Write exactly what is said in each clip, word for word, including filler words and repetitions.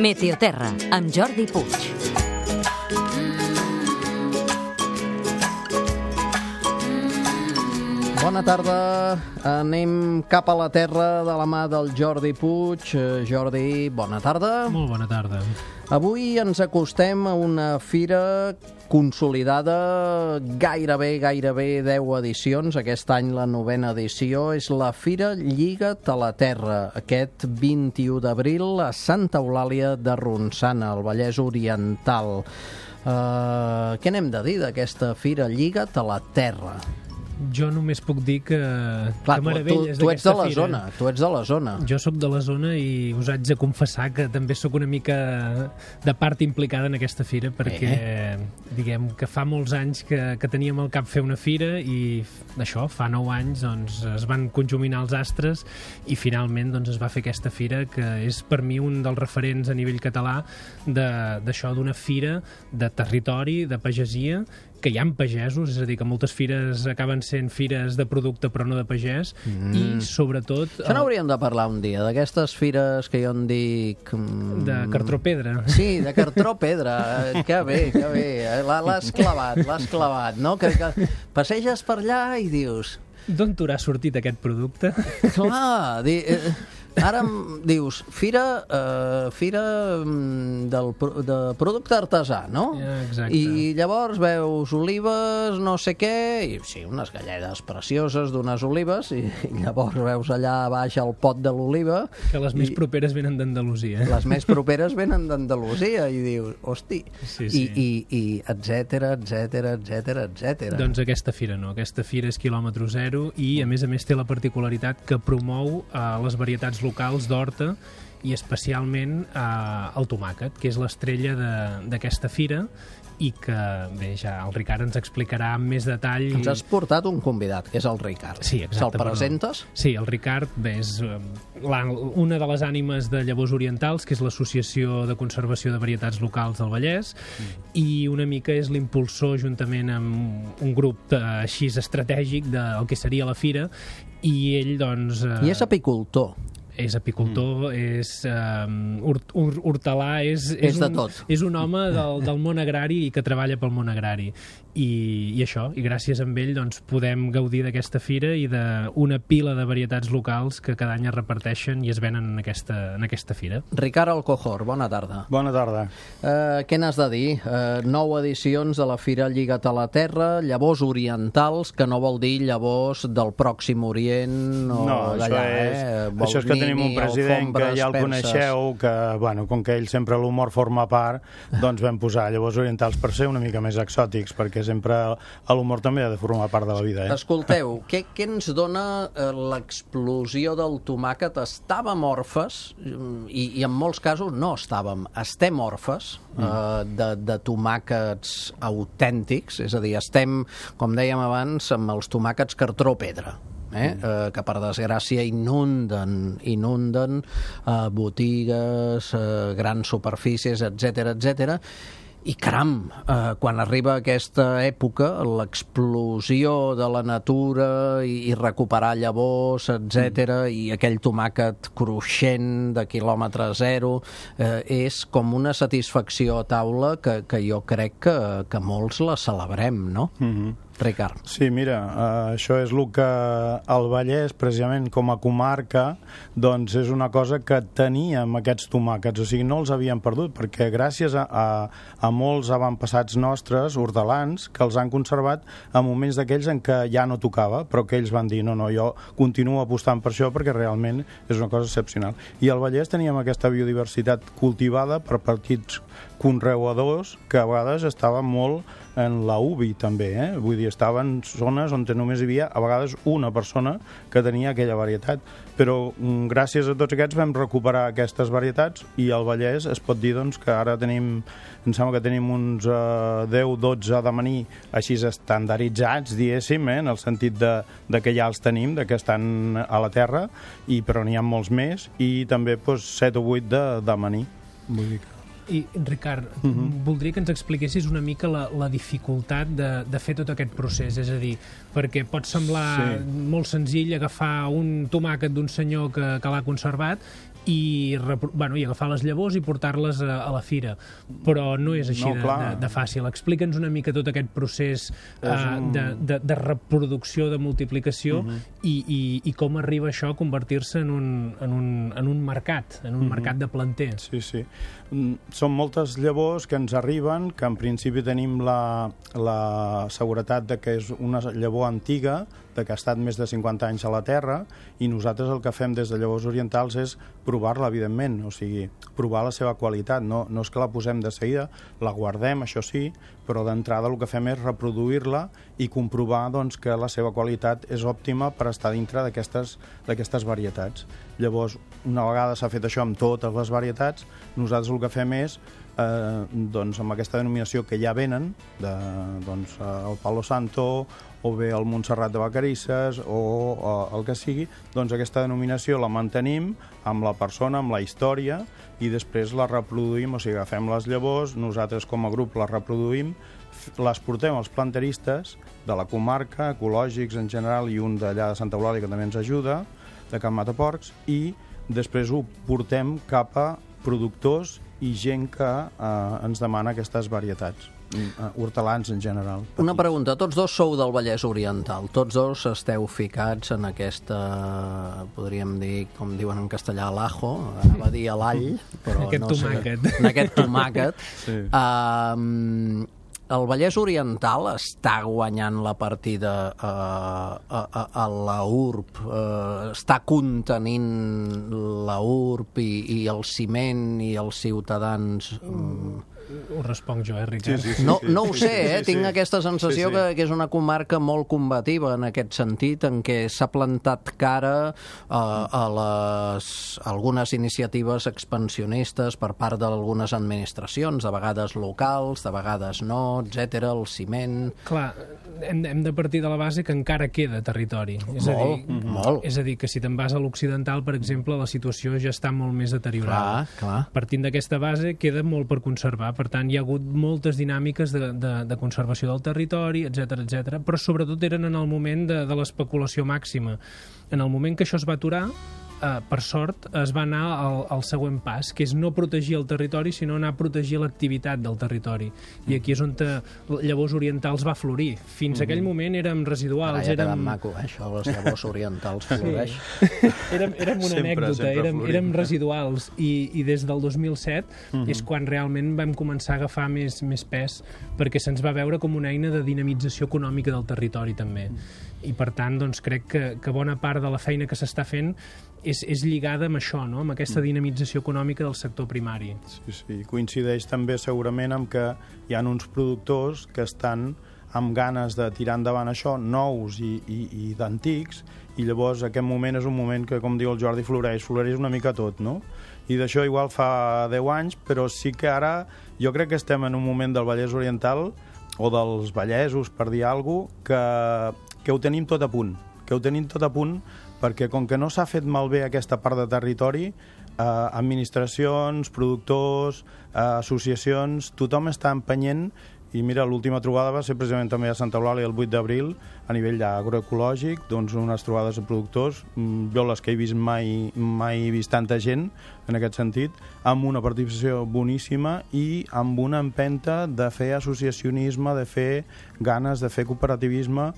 Meteoterra, amb Jordi Puig. Bona tarda, anem cap a la terra de la mà del Jordi Puig. Jordi, bona tarda. Molt bona tarda. Avui ens acostem a una fira consolidada, gairebé, gairebé deu edicions. Aquest any la novena edició és la Fira Lliga't a la Terra, aquest vint-i-u d'abril a Santa Eulàlia de Ronçana, al Vallès Oriental. Uh, què n'hem de dir d'aquesta Fira Lliga't a la Terra? Jo només puc dir que, Clar, que meravelles tu, tu ets de la fira. zona, tu ets de la zona. Jo sóc de la zona i us haig de confessar que també sóc una mica de part implicada en aquesta fira, perquè eh. diguem que fa molts anys que, que teníem al cap fer una fira i això, fa nou anys doncs, es van conjuminar els astres i finalment doncs, es va fer aquesta fira, que és per mi un dels referents a nivell català d'això, d'una fira de territori, de pagesia, que hi ha pagesos, és a dir, que moltes fires acaben sent fires de producte però no de pagès, mm. i sobretot... Això n'hauríem de parlar un dia, d'aquestes fires que jo en dic... Mm... De cartró-pedra. Sí, de cartró-pedra, que bé, que bé, l'has clavat, l'has clavat, no? Que, que passeges per allà i dius... D'on t'haurà sortit aquest producte? Clar, di... Ara em dius, fira, uh, fira del, de producte artesà, no? Exacte. I llavors veus olives, no sé què, i sí, unes galledes precioses d'unes olives, i, i llavors veus allà baix el pot de l'oliva... Que les més i, properes venen d'Andalusia. Les més properes venen d'Andalusia, i dius, hosti, sí, sí. I, i, i etcètera, etcètera, etcètera, etcètera. Doncs aquesta fira no, aquesta fira és quilòmetre zero i, a més a més, té la particularitat que promou uh, les varietats locals d'horta i especialment eh, el tomàquet, que és l'estrella d'aquesta fira i que, bé, ja el Ricard ens explicarà amb més detall. Ens has portat un convidat, que és el Ricard. Sí, exacte. Se'l presentes? Però... Sí, el Ricard, bé, és la, una de les ànimes de Llavors Orientals, que és l'Associació de Conservació de Varietats Locals del Vallès, mm. i una mica és l'impulsor, juntament amb un grup eh, així estratègic del que seria la fira, i ell, doncs... Eh... I és apicultor. És apicultor, mm. és um, hort, hortelà, és, és, és de un, tot. És un home del, del món agrari i que treballa pel món agrari. I, i això, i gràcies a ell doncs, podem gaudir d'aquesta fira i d'una pila de varietats locals que cada any es reparteixen i es venen en aquesta, en aquesta fira. Ricard Alcojor, bona tarda. Bona tarda. Uh, què n'has de dir? Uh, nou edicions de la Fira Lliga't a la Terra, llavors orientals, que no vol dir llavors del Pròxim Orient o no, d'allà, és, eh? Vol això és que tenim un president que ja el perses. Coneixeu, que, bueno, com que ell sempre l'humor forma part, doncs vam posar llavors orientals per ser una mica més exòtics, perquè sempre l'humor també ha de formar part de la vida. Eh? Escolteu, què, què ens dona eh, l'explosió del tomàquet? Estàvem orfes, i, i en molts casos no estàvem, estem orfes mm. eh, de, de tomàquets autèntics, és a dir, estem, com dèiem abans, amb els tomàquets cartró-pedra. Eh? Mm. Eh, que per desgràcia inunden inunden eh, botigues, eh, grans superfícies, etcètera, etcètera. I caram, eh, quan arriba aquesta època, l'explosió de la natura i, i recuperar llavors, etcètera, mm. i aquell tomàquet cruixent de quilòmetre zero, eh, és com una satisfacció a taula que, que jo crec que, que molts la celebrem, no? Mm-hmm. Ricard. Sí, mira, uh, això és el que el Vallès, precisament com a comarca, doncs és una cosa que teníem aquests tomàquets, o sigui, no els havíem perdut, perquè gràcies a, a, a molts avantpassats nostres, hortelans, que els han conservat en moments d'aquells en què ja no tocava, però que ells van dir, no, no, jo continuo apostant per això perquè realment és una cosa excepcional. I al Vallès teníem aquesta biodiversitat cultivada per petits conreuadors que a vegades estaven molt en la U B I també, eh? Vull dir, estaven zones on només hi havia a vegades una persona que tenia aquella varietat, però gràcies a tots aquests vam recuperar aquestes varietats i al Vallès es pot dir doncs, que ara tenim, em sembla que tenim uns uh, deu dotze d'amanir així estandarditzats, diguéssim, eh? En el sentit de, de que ja els tenim, de que estan a la terra, i, però n'hi ha molts més, i també doncs, set o vuit d'amanir. Vull dir que... I, Ricard, uh-huh. voldria que ens expliquessis una mica la, la dificultat de, de fer tot aquest procés, és a dir, perquè pot semblar sí. molt senzill agafar un tomàquet d'un senyor que, que l'ha conservat i, bueno, i agafar les llavors i portar-les a, a la fira, però no és així no, de, de, de fàcil. Explica'ns una mica tot aquest procés uh, un... de, de, de reproducció, de multiplicació uh-huh. i, i, i com arriba això a convertir-se en, un, en, un, en un mercat, en un uh-huh. mercat de planter. Sí, sí. Són moltes llavors que ens arriben, que en principi tenim la, la seguretat de que és una llavor antiga, de que ha estat més de cinquanta anys a la terra, i nosaltres el que fem des de Llavors Orientals és provar-la, evidentment, o sigui, provar la seva qualitat. No, no és que la posem de seguida, la guardem, això sí, però d'entrada el que fem és reproduir-la i comprovar doncs, que la seva qualitat és òptima per estar dintre d'aquestes d'aquestes varietats. Llavors, una vegada s'ha fet això amb totes les varietats, nosaltres el que fem és eh, doncs, amb aquesta denominació que ja venen, de, doncs, el Palo Santo o bé el Montserrat de Vacarisses o, o el que sigui, doncs aquesta denominació la mantenim amb la persona, amb la història, i després la reproduïm, o sigui, agafem les llavors, nosaltres com a grup les reproduïm, les portem als planteristes de la comarca, ecològics en general, i un d'allà de Santa Eulàlia que també ens ajuda, de Can Mataporcs, i després ho portem cap a productors i gent que eh, ens demana aquestes varietats. Hortelans en general. Una pregunta, tots dos sou del Vallès Oriental, tots dos esteu ficats en aquesta, podríem dir, com diuen en castellà, l'ajo, anava a dir a l'all, però aquest no tomàquet. sé, en aquest tomàquet. Sí. Um, el Vallès Oriental està guanyant la partida a, a, a, a la U R B, uh, està contenint la U R B i, i el ciment i els ciutadans... Um, Ho responc jo, eh, Ricard? Sí, sí, sí, no, no ho sé, eh? Sí, sí. Tinc aquesta sensació sí, sí. Que, que és una comarca molt combativa en aquest sentit, en què s'ha plantat cara uh, a les algunes iniciatives expansionistes per part d'algunes administracions, de vegades locals, de vegades no, etcètera, el ciment... Clar, hem, hem de partir de la base que encara queda territori. És molt, a dir, mm-hmm. molt. És a dir, que si te'n vas a l'occidental, per exemple, la situació ja està molt més deteriorada. Clar, clar. Partint d'aquesta base, queda molt per conservar. Per tant, hi ha hagut moltes dinàmiques de, de, de conservació del territori, etcètera, etcètera, però sobretot eren en el moment de, de l'especulació màxima. En el moment que això es va aturar, eh, per sort, es va anar al, al següent pas, que és no protegir el territori, sinó anar a protegir l'activitat del territori. I aquí és on te, Llavors Orientals va florir. Fins mm-hmm. aquell moment érem residuals. Ara ja érem... quedat maco, eh, això, les Llavors Orientals floreix. Sí. érem, érem una sempre, anècdota, sempre érem, érem residuals, i, i des del dos mil set mm-hmm. és quan realment vam començar a agafar més, més pes, perquè se'ns va veure com una eina de dinamització econòmica del territori, també. Mm. I per tant, doncs, crec que, que bona part de la feina que s'està fent és, és lligada amb això, no? Amb aquesta dinamització econòmica del sector primari. Sí, sí. Coincideix també segurament amb que hi ha uns productors que estan amb ganes de tirar endavant això, nous i, i, i d'antics, i llavors aquest moment és un moment que, com diu el Jordi, floreix, floreix una mica tot, no? I d'això igual fa deu anys, però sí que ara jo crec que estem en un moment del Vallès Oriental, o dels vallesos, per dir alguna cosa, que, que ho tenim tot a punt, que ho tenim tot a punt, perquè com que no s'ha fet malbé aquesta part de territori, eh, administracions, productors, eh, associacions, tothom està empenyent. I mira, l'última trobada va ser precisament també a Santa Eulàlia el vuit d'abril, a nivell agroecològic, doncs unes trobades de productors, jo les que he vist mai, mai he vist tanta gent en aquest sentit, amb una participació boníssima i amb una empenta de fer associacionisme, de fer ganes, de fer cooperativisme,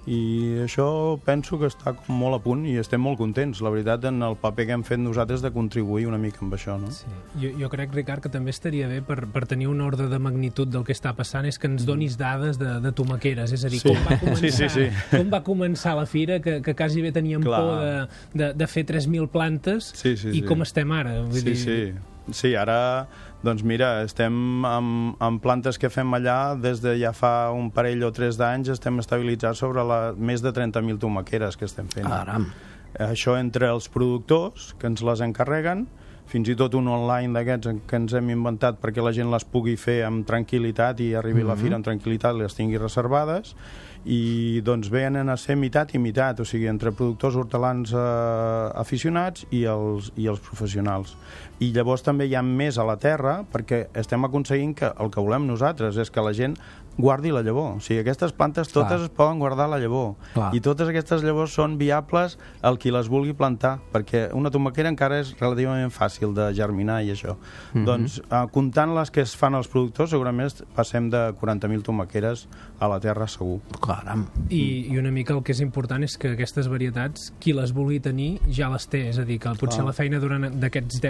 i això penso que està com molt a punt i estem molt contents, la veritat, en el paper que hem fet nosaltres de contribuir una mica amb això, no? Sí. Jo, jo crec, Ricard, que també estaria bé per, per tenir un ordre de magnitud del que està passant és que ens donis dades de, de tomaqueres, és a dir, sí. com, va començar, sí, sí, sí. com va començar la fira, que, que quasi bé teníem Clar. por de, de, de fer tres mil plantes sí, sí, i sí. com estem ara. Vull sí, dir... sí. Sí, ara, doncs mira, estem amb, amb plantes que fem allà des de ja fa un parell o tres d'anys, estem estabilitzats sobre la, més de trenta mil tomaqueres que estem fent. Aram. Això entre els productors, que ens les encarreguen, fins i tot un online d'aquests que ens hem inventat perquè la gent les pugui fer amb tranquil·litat i arribi mm-hmm. a la fira amb tranquil·litat i les tingui reservades, i doncs venen a ser mitat i mitat, o sigui, entre productors hortelans eh, aficionats i els, i els professionals. I llavors també hi ha més a la terra perquè estem aconseguint que el que volem nosaltres és que la gent guardi la llavor. O sigui, aquestes plantes totes Clar. es poden guardar la llavor. Clar. I totes aquestes llavors són viables al qui les vulgui plantar, perquè una tomaquera encara és relativament fàcil de germinar i això. Mm-hmm. Doncs, eh, comptant les que es fan els productors, segurament passem de quaranta mil tomaqueres a la terra segur. Caram. I, I una mica el que és important és que aquestes varietats, qui les vulgui tenir, ja les té. És a dir, que potser Clar. la feina durant d'aquests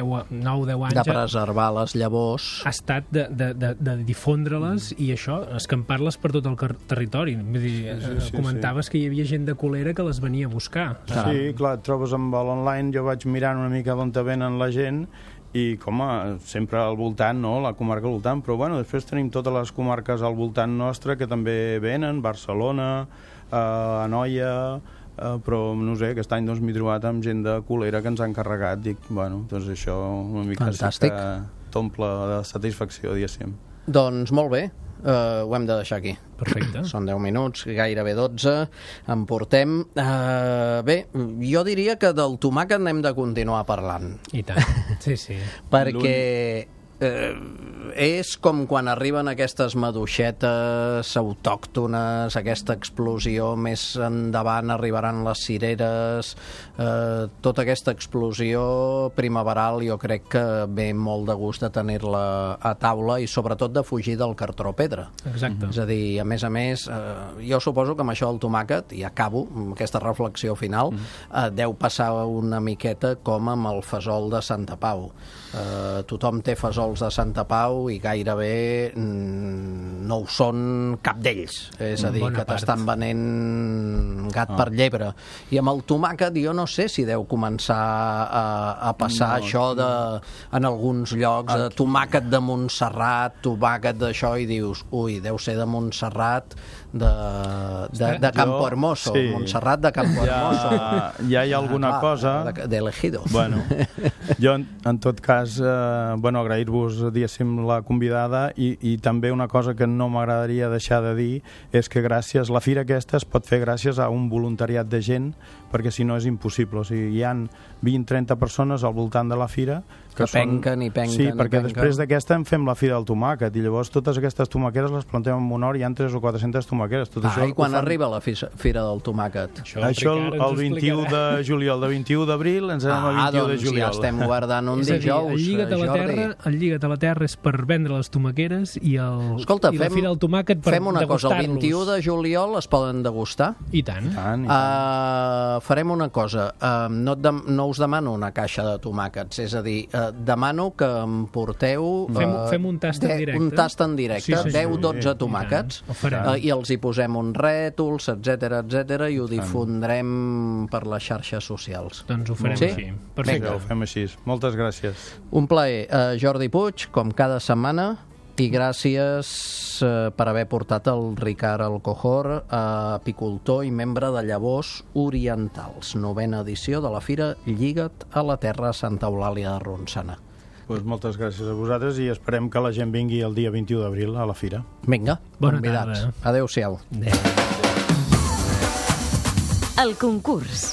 nou deu anys... De preservar les llavors... Ha estat de, de, de, de difondre-les mm. i això, escampar-les per tot el territori. Vull dir, sí, sí, comentaves sí. que hi havia gent de Colera que les venia a buscar. Sí, clar, et trobes amb l'online, jo vaig mirant una mica d'on te venen la gent i, com a, sempre al voltant, no?, la comarca al voltant, però bueno, després tenim totes les comarques al voltant nostre que també venen, Barcelona, eh, Anoia, eh, però no sé, aquest any doncs m'he trobat amb gent de Colera que ens han encarregat, dic, bueno, doncs això una mica Fantàstic. sí que t'omple de satisfacció, diguéssim. Doncs molt bé, uh, ho hem de deixar aquí. Perfecte. Són deu minuts, gairebé dotze, en portem. Uh, bé, jo diria que del tomàquet n'hem de continuar parlant. I tant, sí, sí. Perquè eh, és com quan arriben aquestes maduixetes autòctones, aquesta explosió, més endavant arribaran les cireres, eh, tota aquesta explosió primaveral jo crec que ve molt de gust de tenir-la a taula i sobretot de fugir del cartró pedra. Exacte. És a dir, a més a més, eh, jo suposo que amb això del tomàquet, i acabo amb aquesta reflexió final, eh, deu passar una miqueta com amb el fesol de Santa Pau. Eh, tothom té fesols de Santa Pau i gairebé mm, no ho són cap d'ells. És a dir, Bona que part. t'estan venent gat ah. per llebre. I amb el tomàquet jo no sé si deu començar a, a passar no, això de, en alguns llocs, de tomàquet de Montserrat, tomàquet d'això, i dius, ui, deu ser de Montserrat, de, de, de Campo Hermoso, sí. Montserrat de Campo Hermoso. Ja, ja hi ha alguna ah, cosa... De, de elegido. Bueno, jo, en, en tot cas, eh, bueno, agrair-vos, diguéssim, la convidada i, i també una cosa que no m'agradaria deixar de dir és que gràcies, la fira aquesta es pot fer gràcies a un voluntariat de gent, perquè si no és impossible. O sigui, hi han vint a trenta persones al voltant de la fira que, que penquen i penquen. Sí, i perquè penquen. després d'aquesta en fem la fira del tomàquet i llavors totes aquestes tomaqueres les plantem en honor, hi ha tres o quatre-centes tomaqueres. Tot ah, això i quan fan... arriba la fira del tomàquet? Això, això el, el vint-i-u de juliol, de vint-i-u d'abril ens anem ah, a vint-i-u doncs de juliol. Ja estem guardant un és dijous, dir, el lliga't a la Jordi. terra, el lliga't a la terra és per vendre les tomaqueres i, el, Escolta, i fem, la fira del tomàquet per fem una cosa, el vint-i-u de juliol es poden degustar? I tant. I tant, i tant. Uh, farem una cosa, uh, no, de, no us demano una caixa de tomàquets, és a dir, uh, demano que em porteu uh, fem, fem un tast en directe, un tast en directe, sí, sí, deu o dotze tomàquets, i, uh, i els hi posem uns rètols, etcètera, etcètera, i ho difondrem per les xarxes socials. Doncs ho farem sí? així. Perfecte. Vinga, ho fem així. Moltes gràcies. Un plaer. Uh, Jordi Puig, com cada setmana, i gràcies eh, per haver portat el Ricard Alcohor, eh, apicultor i membre de Llavors Orientals, novena edició de la Fira Lliga't a la Terra Santa Eulàlia de Ronçana. Pues moltes gràcies a vosaltres i esperem que la gent vingui el dia vint-i-u d'abril a la fira. Vinga, bona convidats. tarda. Adéu-siau. Adéu. El concurs.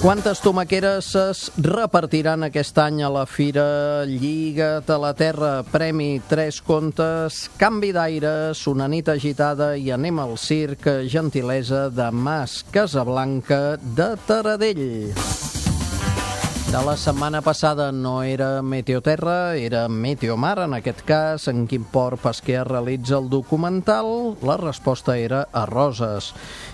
Quantes tomaqueres es repartiran aquest any a la Fira Lliga't a la Terra? Premi Tres Contes, canvi d'aires, una nit agitada i anem al circ, gentilesa de Mas Casablanca de Taradell. De la setmana passada no era Meteoterra, era Meteomar, en aquest cas, en quin port pesquer realitza el documental? La resposta era a Roses.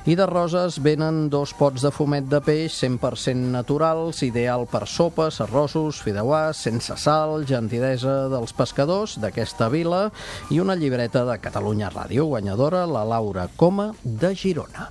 I de Roses venen dos pots de fumet de peix cent per cent naturals, ideal per sopes, arrossos, fideuàs, sense sal, gentilesa dels pescadors d'aquesta vila, i una llibreta de Catalunya Ràdio, guanyadora, la Laura Coma de Girona.